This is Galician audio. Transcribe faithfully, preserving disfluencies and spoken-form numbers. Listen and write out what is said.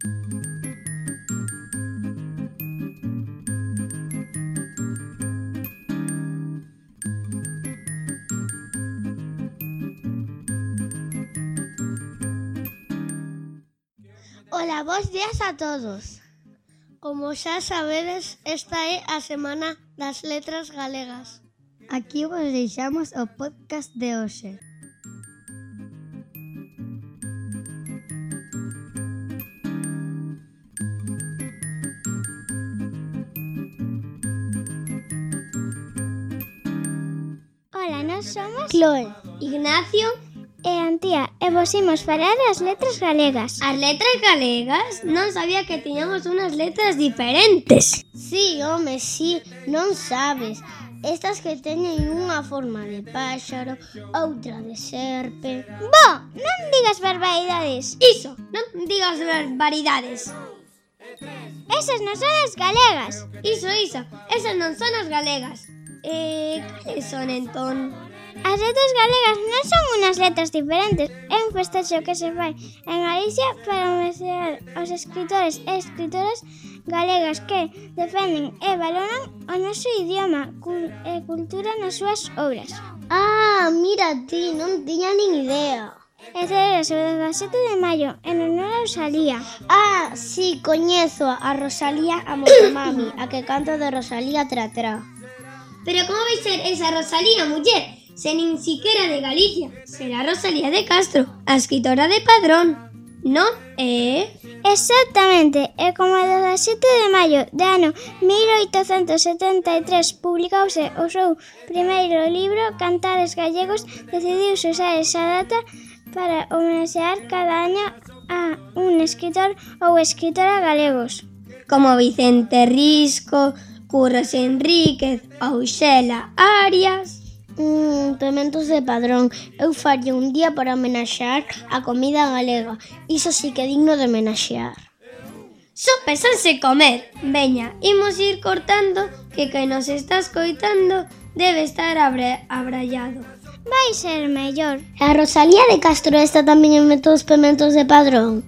Ola, bos días a todos. Como xa sabedes, esta é a Semana das Letras Galegas. Aquí vos deixamos o podcast de hoxe. Ola, nós somos Chloe, Ignacio e Antía e vos imos falar das letras galegas. As letras galegas? Non sabía que tiñamos unhas letras diferentes. Sí, home, sí, non sabes. Estas que teñen unha forma de páxaro, outra de serpe. Bo, non digas barbaridades. Iso, non digas barbaridades. Esas non son as galegas. Iso, iso, esas non son as galegas. Eh, cales son entón? As letras galegas non son unhas letras diferentes. É un festexo que se fai en Galicia para homenaxear aos escritores e escritoras galegas que defenden e valoran o noso idioma e cultura nas súas obras. Ah, mira ti, non tiña nin idea. E celebra o dezasete de maio en honor a Rosalía. Ah, sí, coñezo a Rosalía a Motomami, a que canta de Rosalía tra tra. Pero como vai ser esa Rosalía, muller? Se nin siquiera de Galicia. Será Rosalía de Castro, a escritora de Padrón, non? Eh? Exactamente, e como o dezasete de maio de ano mil oitocentos setenta e tres publicouse o seu primeiro libro Cantares Gallegos, decidiuse usar esa data para homenaxear cada año a un escritor ou escritora galegos. Como Vicente Risco, Curros Enríquez ou Xela Arias. Mm, pementos de Padrón. Eu faría un día para homenaxear a comida galega. Iso sí que é digno de homenaxear. Só pensanse comer. Veña, imos ir cortando, que quen nos está escoitando debe estar abra- abrallado. Vai ser mellor. A Rosalía de Castro está tamén en Métodos Pementos de Padrón.